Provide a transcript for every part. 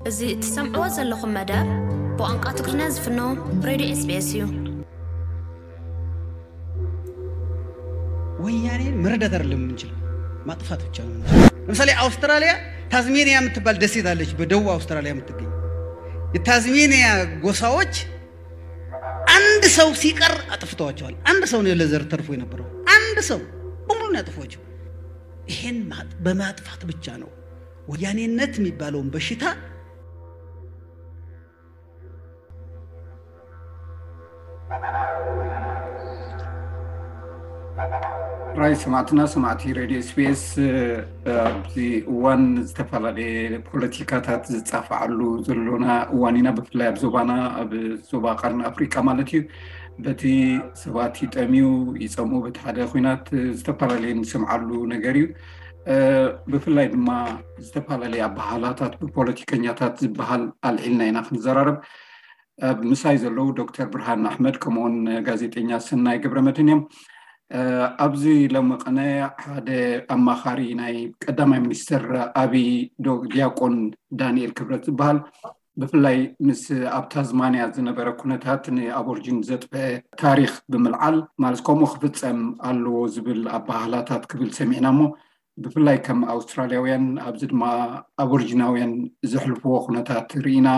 እዚ እትሰምዕዎ ዘለኹም መደብ ብቋንቋ ትግርኛ ዝፍኖ ሬድዮ ኤስቢኤስ እዩ። ወያኔን መርዳት አይደለም የምንችለው፣ ማጥፋት ብቻ ነው የምንችለው። ለምሳሌ አውስትራሊያ ታዝሜኒያ የምትባል ደሴት አለች፣ በደቡብ አውስትራሊያ የምትገኝ። የታዝሜኒያ ጎሳዎች አንድ ሰው ሲቀር አጥፍተዋቸዋል። አንድ ሰው ነው ለዘር ተርፎ የነበረው፣ አንድ ሰው በሙሉ ነው ያጠፏቸው። ይሄን ማጥ- በማጥፋት ብቻ ነው ወያኔነት የሚባለውን በሽታ ራይ ሰማዕትና ሰማዕቲ ሬድዮ ኤስቢኤስ፣ ኣብዚ እዋን ዝተፈላለየ ፖለቲካታት ዝጻፍዓሉ ዘሎና እዋን ኢና። ብፍላይ ኣብ ዞባና፣ ኣብ ዞባ ቀርኒ ኣፍሪቃ ማለት እዩ። በቲ ሰባት ይጠምዩ ይጸምኡ፣ በቲ ሓደ ኲናት ዝተፈላለየ ንሰምዓሉ ነገር እዩ። ብፍላይ ድማ ዝተፈላለየ ኣበሃህላታት ብፖለቲከኛታት ዝበሃል ኣልዒልና ኢና ክንዘራረብ። ኣብ ምሳይ ዘለዉ ዶክተር ብርሃን ኣሕመድ ከምኡውን ጋዜጠኛ ሰናይ ገብረመድህን እዮም። ኣብዚ ሎሚ ቅነ ሓደ ኣማኻሪ ናይ ቀዳማይ ሚኒስትር ኣብይ ዶ- ዲያቆን ዳንኤል ክብረት ዝበሃል፣ ብፍላይ ምስ ኣብ ታዝማንያ ዝነበረ ኩነታት ንኣቦርጂን ዘጥፈ ታሪኽ ብምልዓል፣ ማለት ከምኡ ክፍጸም ኣለዎ ዝብል ኣበሃህላታት ክብል ሰሚዕና እሞ፣ ብፍላይ ከም ኣውስትራልያውያን ኣብዚ ድማ ኣቦርጂናውያን ዘሕልፍዎ ኩነታት ርኢና፣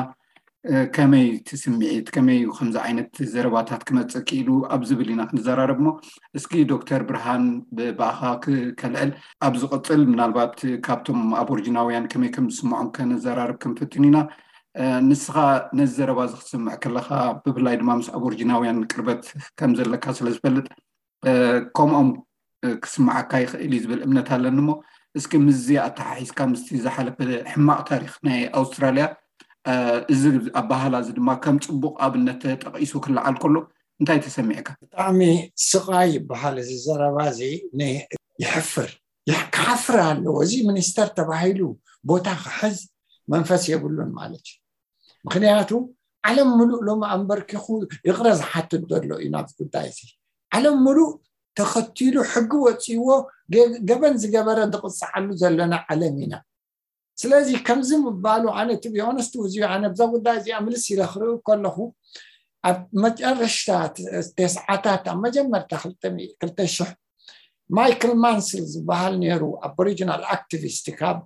ከመይ እቲ ስምዒት፣ ከመይ እዩ ከምዚ ዓይነት ዘረባታት ክመጽእ ክኢሉ ኣብ ዝብል ኢና ክንዘራረብ እሞ፣ እስኪ ዶክተር ብርሃን ብ- ብኣኻ ክ- ከልዕል። ኣብ ዝቕጽል ምናልባት ካብቶም ኣቦርጂናውያን ከመይ ከም ዝስምዖም ከነዘራርብ ክንፍትን ኢና። ንስኻ ነዚ ዘረባ እዚ ክትስምዕ ከለኻ፣ ብፍላይ ድማ ምስ ኣቦርጂናውያን ቅርበት ከም ዘለካ ስለ ዝፈልጥ፣ ከምኦም ክስምዓካ ይኽእል እዩ ዝብል እምነት ኣለኒ እሞ፣ እስኪ ምስዚ ኣተሓሒዝካ ምስቲ ዝሓለፈ ሕማቕ ታሪኽ ናይ ኣውስትራልያ፣ እዚ ኣበሃህላ እዚ ድማ ከም ጽቡቕ ኣብነት ተጠቒሱ ክለዓል ከሎ እንታይ ተሰሚዕካ? ብጣዕሚ ስቓይ ይበሃል እዚ ዘረባ እዚ። ን- ይሕፍር ይሕ- ክሓፍር ኣለዎ። እዚ ሚኒስተር ተባሂሉ ቦታ ክሕዝ መንፈስ የብሉን ማለት እዩ። ምክንያቱ ዓለም ምሉእ ሎሚ ኣንበርኪኹ ይቕረ ዝሓትት ዘሎ እዩ ናብዚ ጉዳይ እዚ። ዓለም ምሉእ ተኸቲሉ ሕጊ ወፂዎ ገ- ገበን ዝገበረ ዝቕፅዓሉ ዘለና ዓለም ኢና። ስለዚ ከምዚ ምባሉ ኣነ ትቢሆነስት እዚ ኣነ ብዛ ጉዳይ እዚኣ ምልስ ኢለ ክርኢ ከለኹ ኣብ መጨረሽታ ተስዓታት ኣብ መጀመርታ ክልተ ሽሕ ማይክል ማንስል ዝበሃል ነይሩ ኣቦሪጂናል ኣክቲቪስት ካብ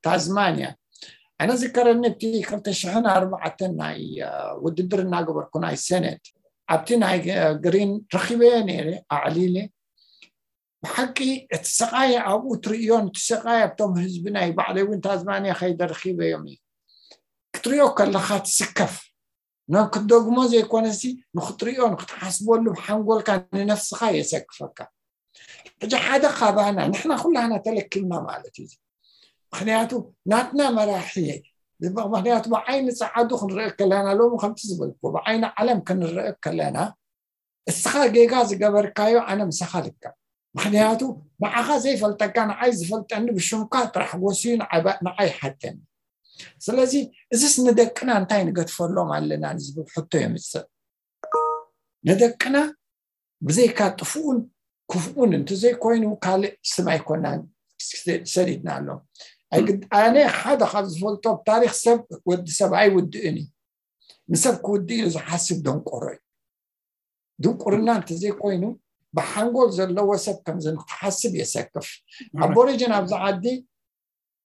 ታዝማንያ። ኣነ ዝከረኒ እቲ ክልተ ሽሕን ኣርባዕተን ናይ ውድድር እናገበርኩ ናይ ሴኔት ኣብቲ ናይ ግሪን ረኪበዮ ነይረ ኣዕሊለ። ብሓቂ እቲ ስቓይ ኣብኡ ትርእዮን እቲ ስቓይ ኣብቶም ህዝቢ ናይ ባዕለይ እውን ታዝማንያ ከይደ ረኪበዮም እዩ። ክትርእዮ ከለካ ትስከፍ። ናብ ክትደግሞ ዘይኮነሲ ንክትርእዮ ንክትሓስበሉ ብሓንጎልካ ንነፍስካ የሰክፈካ። ሕጂ ሓደ ካባና ንሕና ኩላህና ተለኪምና ማለት እዩ። ምክንያቱ ናትና መራሒ ምክንያቱ ብዓይኒ ጸዓዱ ክንርኢ ከለና ሎሚ ከምቲ ዝበልኩ ብዓይኒ ዓለም ክንርኢ ከለና እስኻ ጌጋ ዝገበርካዮ ኣነ ምሳኻ ልከብ። ምክንያቱ ንዓኻ ዘይፈልጠካ ንዓይ ዝፈልጠኒ ብሽምካ ጥራሕ ወስዩ ንዓይ ይሓተኒ። ስለዚ እዚስ ንደቅና እንታይ ንገድፈሎም ኣለና ንዝብል ሕቶ የምፅእ። ንደቅና ብዘይካ ጥፉኡን ክፉኡን እንተዘይኮይኑ ካልእ ስም ኣይኮናን ሰዲድናሎም። ኣነ ሓደ ካብ ዝፈልጦ ታሪክ ሰብ ወዲ ሰብ ኣይውድእን እዩ። ንሰብ ክውድእ ኢሉ ዝሓስብ ደንቆሮ እዩ። ድንቁርና እንተዘይኮይኑ ብሓንጎል ዘለዎ ሰብ ከምዚ ንክትሓስብ የሰክፍ። ኣቦሪጅን ኣብዚ ዓዲ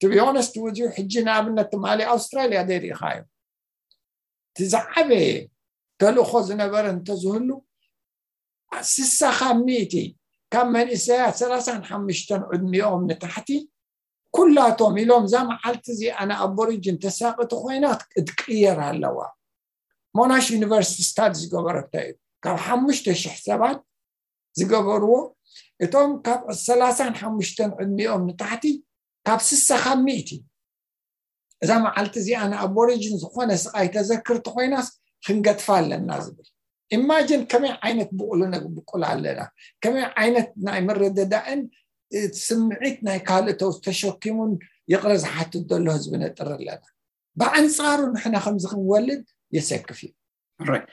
ትቢሆነስት ውዚዩ ሕጂ ንኣብነት ትማሊ ኣውስትራልያ ዘይርኢኻዮ እቲ ዝዓበየ ተልእኮ ዝነበረ እንተዝህሉ ስሳ ካብ ሚእቲ ካብ መንእሰያት ሰላሳን ሓሙሽተን ዕድሚኦም ንታሕቲ ኩላቶም ኢሎም እዛ መዓልቲ እዚኣ ንኣቦሪጅን ተሳቂ ተኮይና ክትቅየር ኣለዋ። ሞናሽ ዩኒቨርሲቲ ስታዲ ዝገበረቶ እዩ። ካብ ሓሙሽተ ሽሕ ሰባት ዝገበርዎ እቶም ካብ ሰላሳን ሓሙሽተን ዕድሚኦም ንታሕቲ ካብ ስሳ ካብ ሚእቲ እዛ መዓልቲ እዚኣ ንኣቦሪጅን ዝኾነ ስቓይ ተዘክር ተኮይናስ ክንገድፋ ኣለና ዝብል ኢማጅን ከመይ ዓይነት ብቑል ነብቁል ኣለና፣ ከመይ ዓይነት ናይ ምርድዳእን ስምዒት ናይ ካልእ ተሸኪሙን ይቕረ ዝሓትት ዘሎ ህዝቢ ነጥሪ ኣለና። ብኣንፃሩ ንሕና ከምዚ ክንወልድ የሰክፍ እዩ። ራይ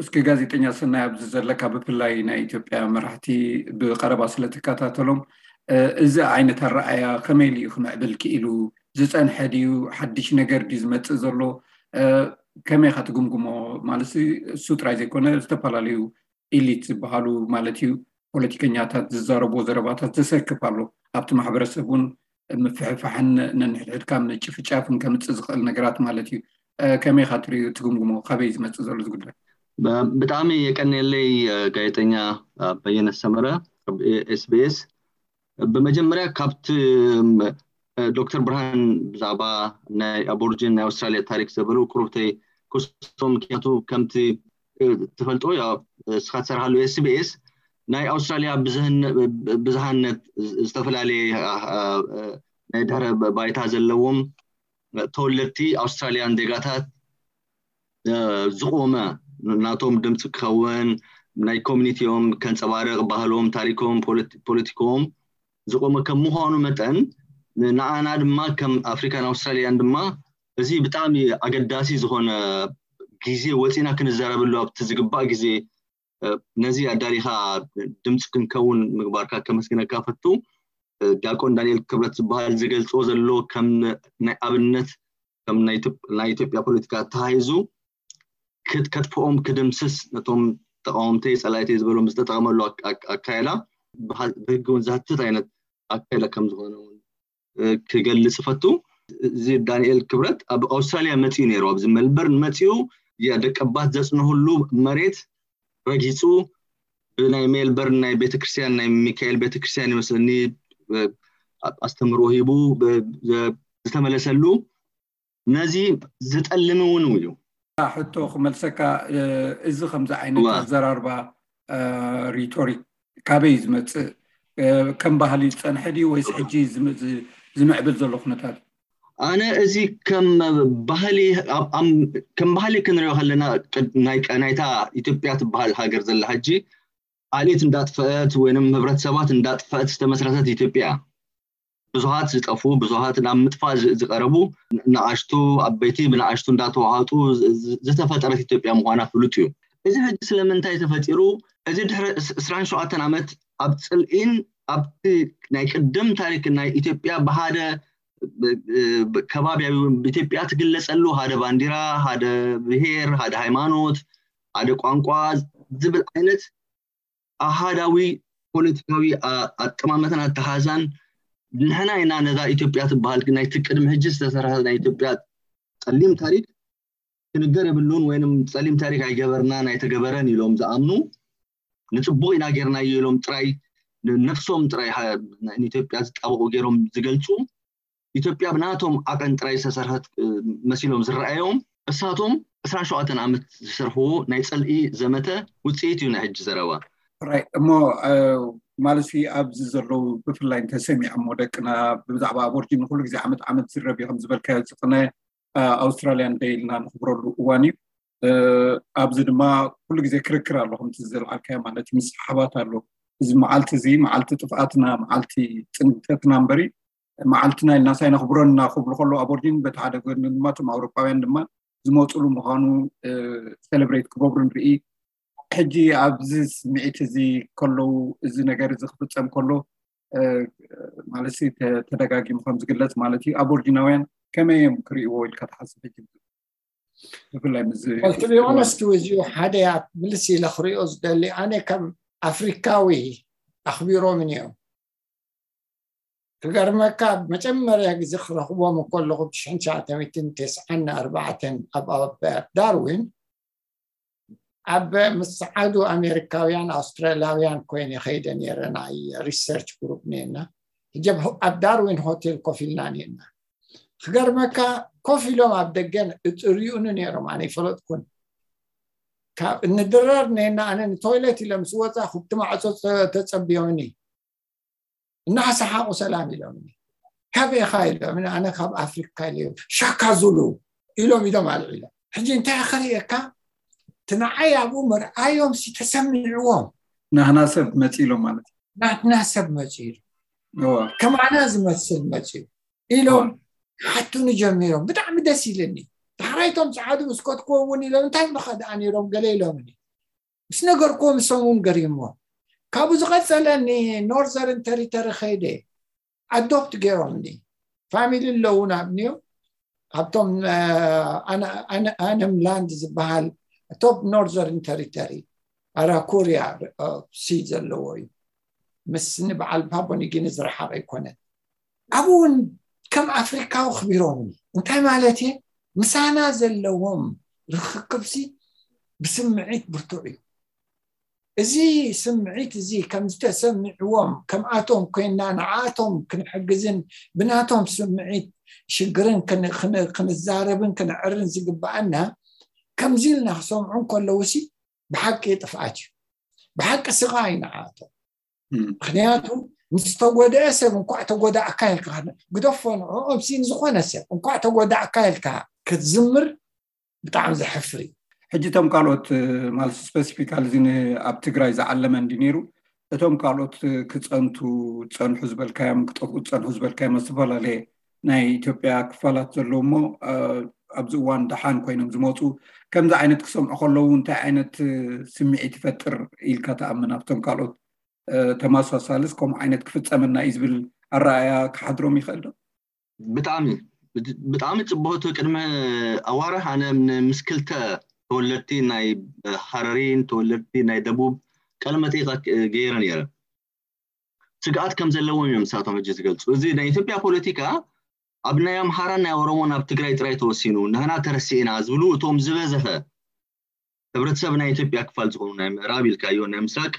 እስኪ ጋዜጠኛ ሰናይ ኣብዚ ዘለካ ብፍላይ ናይ ኢትዮጵያ መራሕቲ ብቀረባ ስለትከታተሎም እዚ ዓይነት ኣረኣያ ከመይ ኢሉ እዩ ክምዕብል ክኢሉ? ዝፀንሐ ድዩ? ሓድሽ ነገር ድዩ ዝመፅእ ዘሎ? ከመይ ኢኻ ትግምግሞ? ማለት እሱ ጥራይ ዘይኮነ ዝተፈላለዩ ኢሊት ዝበሃሉ ማለት እዩ፣ ፖለቲከኛታት ዝዛረብዎ ዘረባታት ዘሰክፍ ኣሎ። ኣብቲ ማሕበረሰብ እውን ምፍሕፋሕን ነንሕድሕድካ ምጭፍጫፍን ከምፅእ ዝኽእል ነገራት ማለት እዩ። ከመይ ኢኻ ትሪኦ ትግምግሞ? ካበይ ዝመፅእ ዘሎ ዝጉዳይ? ብጣዕሚ የቀንየለይ ጋዜጠኛ በየነ ሰመረ ኤስቢኤስ። ብመጀመርያ ካብቲ ዶክተር ብርሃን ብዛዕባ ናይ ኣቦርጅን ናይ ኣውስትራሊያ ታሪክ ዘበሉ ክሩብተይ ክስቶም ምክንያቱ ከምቲ ትፈልጦ እስኻ ትሰርሃሉ ኤስቢኤስ ናይ ኣውስትራሊያ ብዝሃነት ዝተፈላለየ ናይ ድሕረ ባይታ ዘለዎም ተወለድቲ ኣውስትራሊያን ዜጋታት ዝቆመ ናቶም ድምፂ ክኸውን ናይ ኮሚኒቲኦም ከንፀባርቕ ባህሎም ታሪኮም ፖለቲኮም ዝቆመ ከም ምዃኑ መጠን ንኣና ድማ ከም ኣፍሪካን ኣውስትራሊያን ድማ እዚ ብጣዕሚ ኣገዳሲ ዝኾነ ግዜ ወፂና ክንዘረብሉ ኣብቲ ዝግባእ ግዜ ነዚ ኣዳሊኻ ድምፂ ክንከውን ምግባርካ ከመስግነካ ፈቱ። ዲያቆን ዳንኤል ክብረት ዝበሃል ዝገልፆ ዘሎ ከም ናይ ኣብነት ከም ናይ ኢትዮጵያ ፖለቲካ ተታሂዙ ከጥፍኦም ክድምስስ ነቶም ተቃወምተይ ፀላእተይ ዝበሎም ዝተጠቀመሉ ኣካይዳ ብህጊ እውን ዝሃትት ዓይነት ኣካይዳ ከም ዝኾነ ክገልፅ እፈቱ። እዚ ዳንኤል ክብረት ኣብ ኣውስትራሊያ መፂኡ ነይሩ፣ ኣብዚ ሜልበርን መፂኡ ደቀባት ዘፅንህሉ መሬት ረጊፁ ብናይ ሜልበርን ናይ ቤተክርስትያን ናይ ሚካኤል ቤተክርስትያን ይመስለኒ ኣስተምሮ ሂቡ ዝተመለሰሉ ነዚ ዝጠልም እውን እዩ። ሕቶ ክመልሰካ፣ እዚ ከምዚ ዓይነት ኣዘራርባ ሪቶሪክ ካበይ ዝመፅእ? ከም ባህሊ ዝፀንሐ ድዩ ወይስ ሕጂ ዝምዕብል ዘሎ ኩነታት? ኣነ እዚ ከም ባህሊ ከም ባህሊ ክንሪኦ ከለና ናይታ ኢትዮጵያ ትበሃል ሃገር ዘላ ሕጂ ኣልኢት እንዳጥፈአት ወይም ህብረተሰባት እንዳጥፈአት ዝተመስረተት ኢትዮጵያ ብዙሃት ዝጠፉ ብዙሃት ናብ ምጥፋእ ዝቀረቡ ንኣሽቱ ኣበይቲ ብንኣሽቱ እንዳተዋሃጡ ዝተፈጠረት ኢትዮጵያ ምኳና ፍሉጥ እዩ። እዚ ሕጂ ስለምንታይ ተፈጢሩ? እዚ ድሕሪ ዕስራን ሸውዓተን ዓመት ኣብ ፅልኢን ኣብቲ ናይ ቅድም ታሪክ ናይ ኢትዮጵያ ብሃደ ከባቢያዊ ኢትዮጵያ ትግለፀሉ ሃደ ባንዲራ፣ ሃደ ብሄር፣ ሃደ ሃይማኖት፣ ሃደ ቋንቋ ዝብል ዓይነት ኣሃዳዊ ፖለቲካዊ ኣጠማመታን ኣተሓዛን ንሕና ኢና ነዛ ኢትዮጵያ ትበሃል ናይቲ ቅድሚ ሕጂ ዝተሰርሐ ናይ ኢትዮጵያ ፀሊም ታሪክ ክንገር የብሉን ወይም ፀሊም ታሪክ ኣይገበርናን ኣይተገበረን ኢሎም ዝኣምኑ ንፅቡቅ ኢና ጌርናዮ ኢሎም ጥራይ ነፍሶም ጥራይ ንኢትዮጵያ ዝጣበቁ ገይሮም ዝገልፁ ኢትዮጵያ ብናቶም ዓቐን ጥራይ ዝተሰርሐት መሲሎም ዝረኣዮም እሳቶም ዕስራን ሸውዓተን ዓመት ዝሰርሕዎ ናይ ፅልኢ ዘመተ ውፅኢት እዩ ናይ ሕጂ ዘረባ። እሞ ማለት ኣብዚ ዘለዉ ብፍላይ እንተሰሚዖሞ ደቅና ብዛዕባ ኣቦርጂን ኩሉ ግዜ ዓመት ዓመት ዝረብ እዩ ከም ዝበልካዮ ዝቅነ ኣውስትራልያ እንደ ኢልና ንኽብረሉ እዋን እዩ። ኣብዚ ድማ ኩሉ ግዜ ክርክር ኣሎ ከምቲ ዘልዓልካዮ ማለት እዩ ምስሕሓባት ኣሎ። እዚ መዓልቲ እዚ መዓልቲ ጥፍኣትና መዓልቲ ፅንተትና እምበሪ መዓልትና ኢልና ሳይነኽብረና ክብሉ ከለዉ ኣቦርጂን በቲ ሓደ ጎኒ ድማ እቶም ኣውሮጳውያን ድማ ዝመፅሉ ምዃኑ ሰለብሬት ክገብሩ ንርኢ። ሕጂ ኣብዚ ስምዒት እዚ ከለዉ እዚ ነገር እዚ ክፍፀም ከሎ ማለት ተደጋጊሙ ከም ዝግለፅ ማለት እዩ ኣቦርጂናውያን ከመይ እዮም ክርእይዎ ኢልካ ትሓስብ? ሕጂ ብፍላይ ምስ Well, to be honest with you ሓደ ምልስ ኢለ ክሪኦ ዝደሊ ኣነ ከም ኣፍሪካዊ ኣኽቢሮምን እዮም ክገርመካ መጀመርያ ግዜ ክረኽቦም ከለኹ ብሽሕን ትሽዓተ ሚእትን ተስዓን ኣርባዕተን ኣብ ዳርዊን ኣብ ምስ ጸዓዱ ኣሜሪካውያን ኣውስትራልያውያን ኮይነ ከይደ ነይረ ናይ ሪሰርች ግሩፕ ነና ሕጂ ኣብ ዳርዊን ሆቴል ኮፍ ኢልና ነና ክገርመካ ኮፍ ኢሎም ኣብ ደገን እጥርዩኒ ነይሮም ኣነ ይፈለጥኩን ካብ እንድረር ነና ኣነ ንቶይለት ኢለ ምስ ወፃ ኩብቲ ማዕፆ ተፀቢዮምኒ እናሓሰሓቑ ሰላም ኢሎምኒ ካብ ኢኻ ኢሎምኒ ኣነ ካብ ኣፍሪካ ኢለ ሻካ ዙሉ ኢሎም ኢዶም ኣልዒሎም ሕጂ እንታይ ክርእየካ እቲ ንዓይ ኣብኡ ምርኣዮም ሲ ተሰሚዕዎም ናህና ሰብ መፂ ኢሎም ማለት እዩ ናትና ሰብ መፂ ኢሉ ከማና ዝመስል መፂ ኢሎም ሓቱኒ ጀሚሮም ብጣዕሚ ደስ ኢልኒ ዳሕራይቶም ፀዓዱ ምስ ከትክዎ እውን ኢሎም እንታይ ምኸ ደኣ ነይሮም ገለ ኢሎምኒ ምስ ነገርክዎ ምሶም እውን ገሪምዎም ካብኡ ዝቐፀለ ንኖርዘርን ተሪተሪ ከይደ ኣዶፕት ገይሮምኒ ፋሚሊ ኣለዉ ናብንዮ ካብቶም ኣነም ላንድ ዝበሃል ቶፕ ኖርዘርን ተሪተሪ ኣራኩርያ ሲ ዘለዎ እዩ። ምስ ንበዓል ፓቦኒጊኒ ዝረሓቕ ኣይኮነን። ኣብኡ እውን ከም ኣፍሪካዊ ክቢሮምኒ እንታይ ማለት እየ? ምሳና ዘለዎም ርክክብሲ ብስምዒት ብርቱዕ እዩ። እዚ ስምዒት እዚ ከም ዝተሰምዕዎም ከምኣቶም ኮይና ንዓኣቶም ክንሕግዝን ብናቶም ስምዒት ሽግርን ክንዛረብን ክንዕርን ዝግባኣና ከምዚ ኢልና ክሰምዑ እንከለውሲ ብሓቂ ጥፍኣት እዩ። ብሓቂ ስቓይ ንዓኣቶም። ምክንያቱ ምስ ተጎደአ ሰብ እንኳዕ ተጎዳእካ ኢልካ ግደፎ ንዕኦም ሲ ንዝኾነ ሰብ እንኳዕ ተጎዳእካ ኢልካ ክትዝምር ብጣዕሚ ዘሕፍር እዩ። ሕጂ እቶም ካልኦት ማለት ስፐሲፊካሊ እዚ ኣብ ትግራይ ዝዓለመ እንዲ ነይሩ እቶም ካልኦት ክፀንቱ ዝፀንሑ ዝበልካዮም ክጠፍኡ ዝፀንሑ ዝበልካዮም ዝተፈላለየ ናይ ኢትዮጵያ ክፋላት ዘለዉ እሞ ኣብዚ እዋን ደሓን ኮይኖም ዝመፁ ከምዚ ዓይነት ክሰምዑ ከለዉ እንታይ ዓይነት ስምዒት ይፈጥር ኢልካ ትኣምን ኣብቶም ካልኦት ተመሳሳልስ ከምኡ ዓይነት ክፍፀመና እዩ ዝብል ኣረኣያ ክሓድሮም ይኽእል ዶ? ብጣዕሚ ብጣዕሚ ፅቡቅ። እቲ ቅድሚ ኣዋርሕ ኣነ ምስ ክልተ ተወለድቲ ናይ ሃረሪን ተወለድቲ ናይ ደቡብ ቃለ መጠይቅ ገይረ ነይረ። ስግኣት ከም ዘለዎም እዮም ንሳቶም ሕጂ ዝገልፁ። እዚ ናይ ኢትዮጵያ ፖለቲካ ኣብ ናይ ኣምሓራን ናይ ኦሮሞን ኣብ ትግራይ ጥራይ ተወሲኑ ንህና ተረሲእና ዝብሉ እቶም ዝበዝሐ ሕብረተሰብ ናይ ኢትዮጵያ ክፋል ዝኾኑ ናይ ምዕራብ ኢልካዮ ናይ ምስራቅ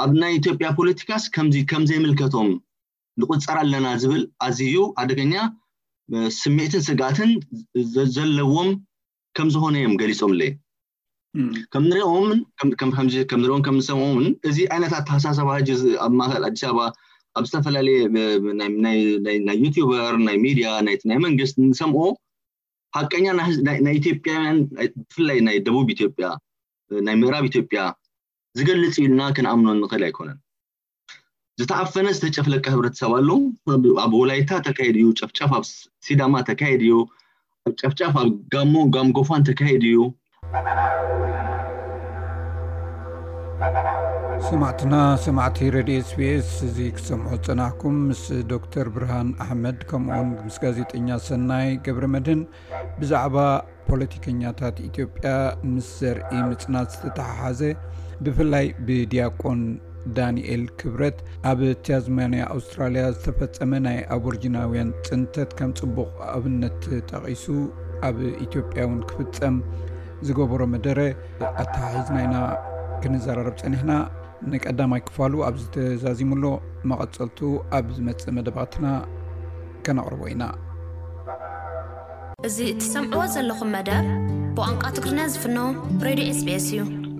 ኣብ ናይ ኢትዮጵያ ፖለቲካስ ከምዚ ከምዘይምልከቶም ንቁፀር ኣለና ዝብል ኣዝዩ ኣደገኛ ስምዒትን ስግኣትን ዘለዎም ከም ዝኾነ እዮም ገሊፆምለይ። ከም ንሪኦምን ከም ንሪኦም ከም ንሰምኦምን እዚ ዓይነት ኣተሓሳሰባ ሕጂ ኣብ ማእከል ኣዲስ ኣበባ ኣብ ዝተፈላለየ ናይ ዩቲዩበር ናይ ሚድያ ናይ መንግስት ንሰምኦ ሓቀኛ ናይ ኢትዮጵያውያን ብፍላይ ናይ ደቡብ ኢትዮጵያ ናይ ምዕራብ ኢትዮጵያ ዝገልፅ ኢልና ክንኣምኖ ንኽእል ኣይኮነን። ዝተዓፈነ ዝተጨፍለቀ ሕብረተሰብ ኣሎ። ኣብ ወላይታ ተካይድ እዩ ጨፍጫፍ፣ ኣብ ሲዳማ ተካይድ እዩ ጨፍጫፍ፣ ኣብ ጋሞ ጋምጎፋን ተካይድ እዩ። ሰማዕትና ሰማዕቲ ሬድዮ ኤስቢኤስ እዚ ክሰምዖ ዝጸናሕኩም ምስ ዶክተር ብርሃን ኣሕመድ ከምኡውን ምስ ጋዜጠኛ ሰናይ ገብረ መድህን ብዛዕባ ፖለቲከኛታት ኢትዮጵያ ምስ ዘርኢ ምጽናት ዝተተሓሓዘ ብፍላይ ብዲያቆን ዳንኤል ክብረት ኣብ ታዝማንያ ኣውስትራልያ ዝተፈጸመ ናይ ኣቦርጂናውያን ጽንተት ከም ጽቡቕ ኣብነት ተጠቒሱ ኣብ ኢትዮጵያ እውን ክፍጸም ዝገበሮ መደረ ኣተሓሒዝና ኢና ክንዘራረብ ጸኒሕና። ንቀዳማይ ክፋሉ ኣብዚ ተዛዚሙ ኣሎ። መቐጸልቱ ኣብ ዝመጽእ መደባትና ከነቕርቦ ኢና። እዚ እትሰምዕዎ ዘለኹም መደብ ብቋንቋ ትግርኛ ዝፍኖ ሬድዮ ኤስቢኤስ እዩ።